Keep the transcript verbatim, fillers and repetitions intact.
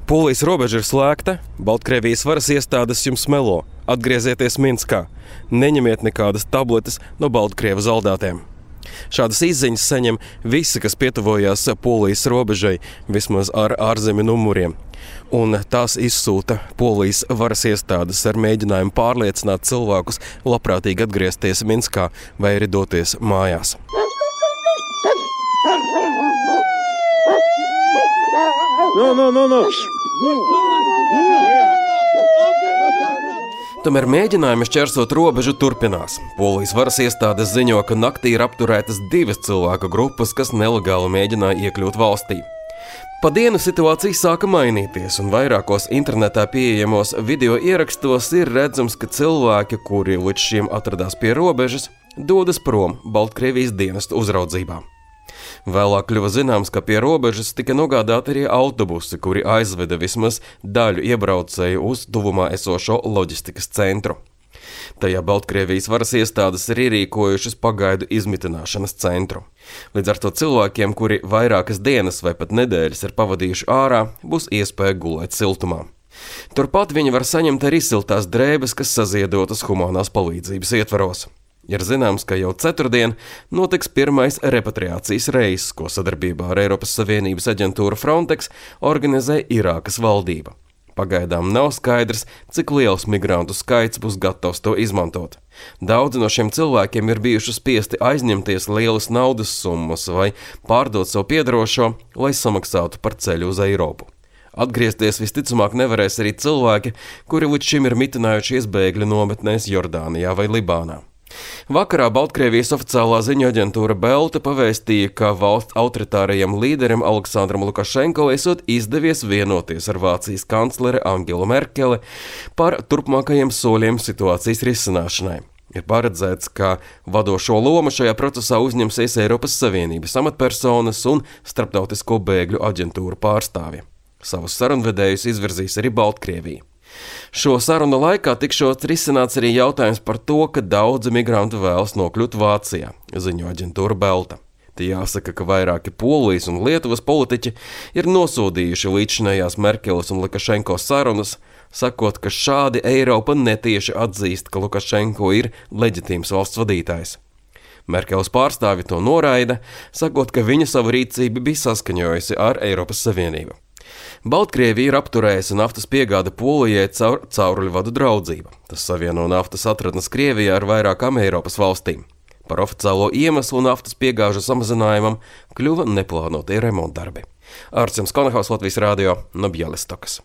Polijas robeža ir slēgta, Baltkrievijas varas iestādes jums melo. Atgriezieties Minskā. Neņemiet nekādas tabletes no Baltkrievu zaldātiem. Šādas izziņas saņem visi, kas pietuvojās Polijas robežai, vismaz ar ārzemju numuriem. Un tās izsūta Polijas varas iestādes ar mēģinājumu pārliecināt cilvēkus labprātīgi atgriezties Minskā vai arī doties mājās. No, no, no, no. Tomēr mēģinājumi šķērsot robežu turpinās. Polijas varas iestādes ziņo, ka naktī ir apturētas divas cilvēku grupas, kas nelegāli mēģināja iekļūt valstī. Pa dienu situācija sāka mainīties, un vairākos internetā pieejamos video ierakstos ir redzams, ka cilvēki, kuri līdz šim atradās pie robežas, dodas prom Baltkrievijas dienestu uzraudzībā. Vēlāk kļuva zināms, ka pie robežas tika nogādāti arī autobusi, kuri aizveda vismaz daļu iebraucēju uz tuvumā esošo loģistikas centru. Tajā Baltkrievijas varas iestādes ir ierīkojušas pagaidu izmitināšanas centru. Līdz ar to cilvēkiem, kuri vairākas dienas vai pat nedēļas ir pavadījuši ārā, būs iespēja gulēt siltumā. Turpat viņi var saņemt arī siltās drēbes, kas saziedotas humanās palīdzības ietvaros. Ir zināms, ka jau ceturtdien notiks pirmais repatriācijas reiss, ko sadarbībā ar Eiropas Savienības aģentūru Frontex organizē Irākas valdība. Pagaidām nav skaidrs, cik liels migrantu skaits būs gatavs to izmantot. Daudzi no šiem cilvēkiem ir bijuši spiesti aizņemties lielas naudas summas vai pārdot savu piedarošo, lai samaksātu par ceļu uz Eiropu. Atgriezties visticamāk nevarēs arī cilvēki, kuri līdz šim ir mitinājušies bēgļu nometnēs Jordānijā vai Libānā. Vakarā Baltkrievijas oficiālā ziņu aģentūra Belta pavēstīja, ka valsts autoritārajam līderim Aleksandram Lukašenko esot izdevies vienoties ar Vācijas kanclere Angelu Merkeli par turpmākajiem soļiem situācijas risināšanai. Ir paredzēts, ka vadošo lomu šajā procesā uzņemsies Eiropas Savienības amatpersonas un starptautisko bēgļu aģentūru pārstāvji. Savus sarunvedējus izvirzīs arī Baltkrievija. Šo sarunu laikā tikšot risināts arī jautājums par to, ka daudzi migranti vēlas nokļūt Vācijā, ziņo aģentūra Belta. Te jāsaka, ka vairāki Polijas un Lietuvas politiķi ir nosodījuši līdzinājās Merkeles un Lukašenko sarunas, sakot, ka šādi Eiropa netieši atzīst, ka Lukašenko ir leģitīms valsts vadītājs. Merkeles pārstāvi to noraida, sakot, ka viņa savu rīcību bija saskaņojusi ar Eiropas Savienību. Baltkrievija ir apturējusi naftas piegāde Polijai caur cauruļvadu draudzību. Tas savieno naftas atradnes Krievijā ar vairākām Eiropas valstīm. Par oficiālo iemeslu naftas piegāžu samazinājumam kļuva neplānotie remontdarbi. Ārcis Konahaus, Latvijas radio, no Bjelistokas.